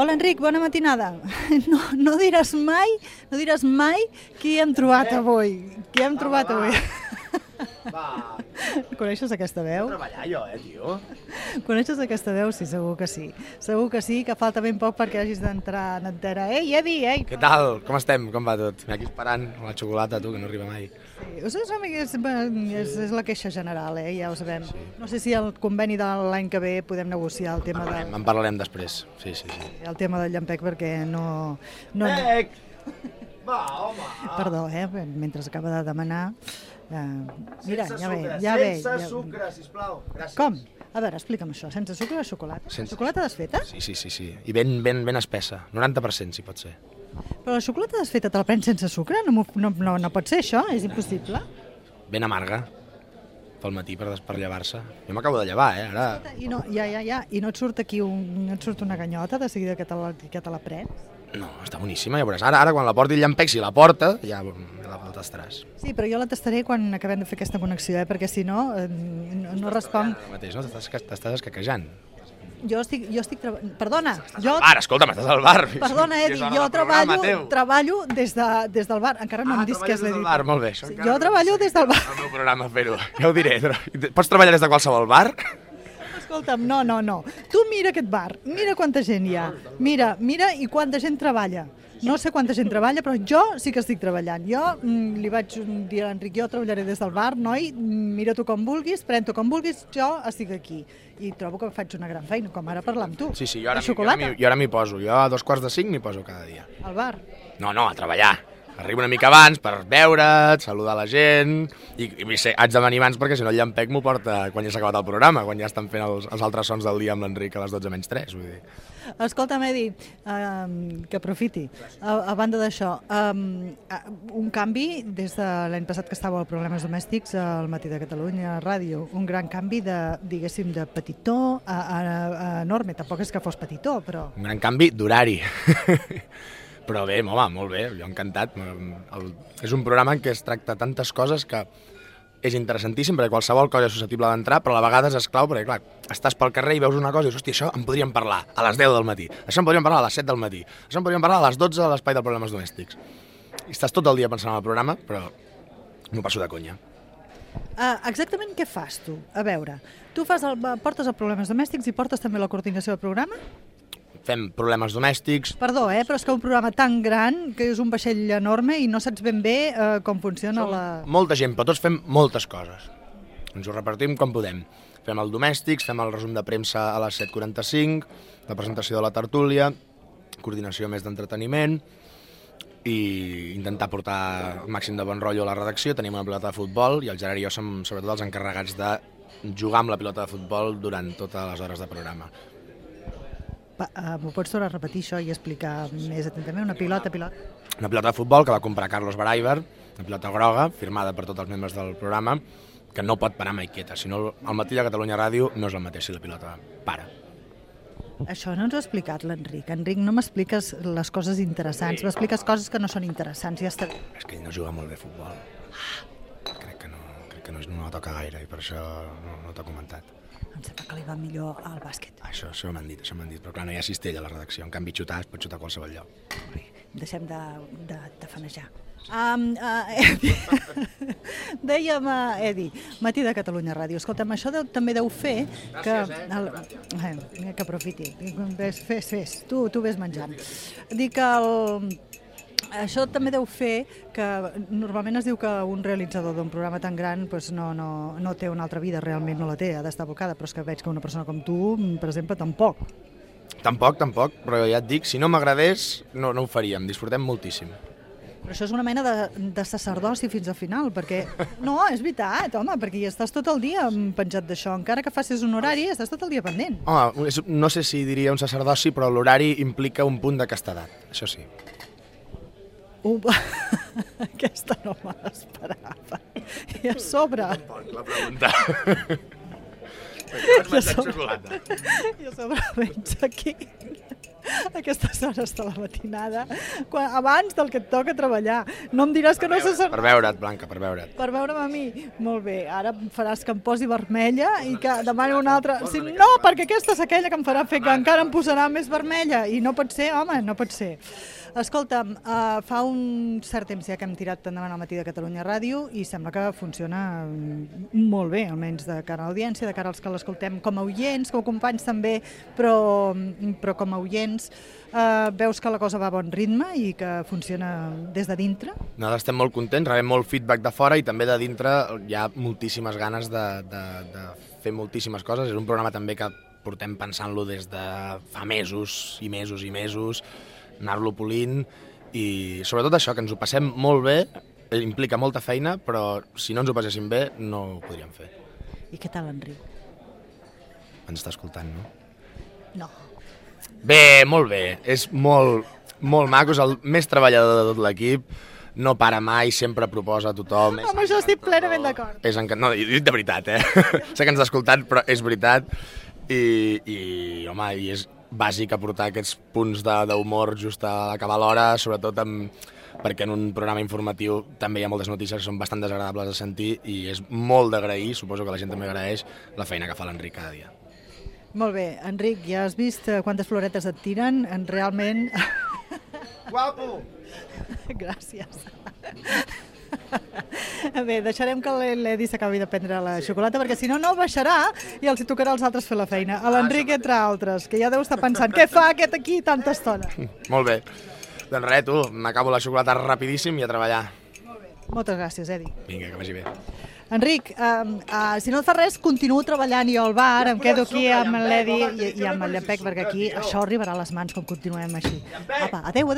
Hola, Enric, bona matinada. No diràs mai qui hem trobat avui. Qui hem trobat avui. Va. Coneixes aquesta veu? He treballat jo, tio. Coneixes aquesta veu? Sí, segur que sí. Segur que sí, que falta ben poc perquè hagis d'entrar en antena. Ei, Edi, ei! Què tal? Com estem? Com va tot? Aquí esperant la xocolata, tu, que no arriba mai. Sí, és la queixa general, ja ho sabem. Sí. No sé si el conveni de l'any que ve podem negociar el tema de... En parlarem després, sí. El tema del Llampec, perquè no... Llampec! Va, home! Perdó, mentre acaba de demanar... Mira, sense sucre, sisplau. Gràcies. Com? A veure, explica'm això. Sense sucre o xocolata? Xocolata desfeta? Sí. I ben espessa. 90% si pot ser. Però la xocolata desfeta te la prens sense sucre? No pot ser això, és impossible. Ben amarga. Pel matí per llevar-se. Jo m'acabo de llevar, ara... I no et surt aquí no et surt una ganyota de seguida que te la prens? No, està boníssima, ja veuràs. Ara quan la porti el Llampec, si la porta, ja la tastaràs. Sí, però jo la tastaré quan acabem de fer aquesta connexió, perquè si no, no responc... Ara mateix, no? T'estàs escaquejant. Jo estic treballant... Perdona! Escolta'm, estàs al bar. Perdona, Edi, jo treballo des del bar. Encara no em dis què és l'Edi. Bar, molt bé. Jo treballo des del bar. El meu programa, fer-ho. Ja ho diré. Pots treballar des de qualsevol bar? Escolta'm, no. Tu mira aquest bar, mira quanta gent hi ha. Mira i quanta gent treballa. No sé quanta gent treballa, però jo sí que estic treballant. Jo li vaig dir a l'Enric, jo treballaré des del bar, noi, mira tu com vulguis, pren-t'ho com vulguis, jo estic aquí. I trobo que faig una gran feina, com ara parlar amb tu. Sí, jo ara m'hi poso. Jo a 4:45 m'hi poso cada dia. Al bar? No, a treballar. Arribo una mica abans per veure't, saludar la gent, i haig de venir abans perquè si no el Llampec m'ho porta quan ja s'ha acabat el programa, quan ja estan fent els altres sons del dia amb l'Enric a les 12:03, vull dir. Escolta'm, Edi, que aprofiti. A banda d'això, un canvi des de l'any passat que estava al Problemes Domèstics al Matí de Catalunya Ràdio, un gran canvi diguéssim, de petitó a enorme. Tampoc és que fos petitó, però... Un gran canvi d'horari. Però bé, home, molt bé, jo encantat. És un programa en què es tracta tantes coses que és interessantíssim, perquè qualsevol cosa és susceptible d'entrar, però a vegades és clau, perquè clar, estàs pel carrer i veus una cosa i dius, hòstia, això en podríem parlar a les 10 del matí, això en podríem parlar a les 7 del matí, això en podríem parlar a les 12 a l'espai de Problemes Domèstics. I estàs tot el dia pensant en el programa, però m'ho passo de conya. Exactament què fas tu? A veure, tu portes els Problemes Domèstics i portes també la coordinació del programa? Fem Problemes Domèstics... Perdó, però és que un programa tan gran, que és un vaixell enorme i no saps ben bé com funciona Molta gent, però tots fem moltes coses. Ens ho repartim com podem. Fem el Domèstics, fem el resum de premsa a les 7:45, la presentació de la tertúlia, coordinació més d'entreteniment i intentar portar el màxim de bon rotllo a la redacció. Tenim una pilota de futbol i el Gerard i jo som sobretot els encarregats de jugar amb la pilota de futbol durant totes les hores de programa. M'ho pots tornar a repetir això i explicar més atentament? Una pilota? Una pilota de futbol que va comprar Carlos Baraiber, una pilota groga, firmada per tots els membres del programa, que no pot parar mai quieta. Si no, el Matí de Catalunya Ràdio no és el mateix si la pilota para. Això no ens ho ha explicat l'Enric. Enric, no m'expliques les coses interessants, m'expliques coses que no són interessants. Ja està. És que ell no juga molt bé a futbol. Crec que no la toca gaire i per això no t'ho ha comentat. Em sembla que li va millor al bàsquet. Això m'han dit, però clar, no hi ha cistella a la redacció, en canvi xutar es pot xutar a qualsevol lloc. Deixem de fanejar. Dèiem, Edi, Matí de Catalunya Ràdio. Escolta'm, això també deu fer que... Gràcies, que aprofiti. Fes. Tu ves menjant. Dic que això també deu fer que normalment es diu que un realitzador d'un programa tan gran no té una altra vida, realment no la té, ha d'estar abocada, però és que veig que una persona com tu, per exemple, tampoc. Tampoc, però ja et dic, si no m'agradés no ho faríem, disfrutem moltíssim. Però això és una mena de sacerdoci fins al final, perquè... No, és veritat, home, perquè hi estàs tot el dia penjat d'això, encara que facis un horari, estàs tot el dia pendent. Home, no sé si diria un sacerdoci, però l'horari implica un punt de castedat, això sí. Aquesta no me l'esperava. I a sobre... La pregunta. I a sobre veig aquí aquestes hores de la matinada, abans del que et toca treballar. No em diràs que no se sap... Per veure't, Blanca, per veure't. Per veure'm a mi? Molt bé, ara faràs que em posi vermella i que demani una altra... Sí, no, perquè aquesta és aquella que em farà fer que encara em posarà més vermella. I no pot ser, home, no pot ser. Escolta'm, fa un cert temps ja que hem tirat endavant al Matí de Catalunya Ràdio i sembla que funciona molt bé, almenys de cara a l'audiència, de cara als que l'escoltem com a oients, com a companys també, però com a oients veus que la cosa va a bon ritme i que funciona des de dintre? Nosaltres estem molt contents, rebem molt feedback de fora i també de dintre hi ha moltíssimes ganes de fer moltíssimes coses. És un programa també que portem pensant-lo des de fa mesos i mesos i mesos, anar-lo polint i sobretot això, que ens ho passem molt bé, implica molta feina, però si no ens ho passéssim bé no ho podríem fer. I què tal, Enric? Ens està escoltant, no? No. Bé, molt bé, és molt maco, és el més treballador de tot l'equip, no para mai, sempre proposa a tothom. Amb això estic plenament d'acord. No, dit de veritat, sé que ens està escoltant, però és veritat i home, i és bàsic aportar aquests punts d'humor just a acabar l'hora, sobretot perquè en un programa informatiu també hi ha moltes notícies que són bastant desagradables de sentir i és molt d'agrair, suposo que la gent també agraeix la feina que fa l'Enric cada dia. Molt bé, Enric, ja has vist quantes floretes et tiren? Realment... Guapo! Gràcies. Bé, deixarem que l'Edi s'acabi de prendre la xocolata perquè si no, no baixarà i els hi tocarà als altres fer la feina. A l'Enric, entre altres, que ja deu estar pensant què fa aquest aquí tanta estona. Molt bé. Doncs res, tu, m'acabo la xocolata rapidíssim i a treballar. Molt bé. Moltes gràcies, Edi. Vinga, que vagi bé. Enric, si no et fa res, continuo treballant jo al bar, em quedo aquí amb l'Edi i amb el Llampec, perquè aquí això arribarà a les mans com continuem així. Apa, adeu.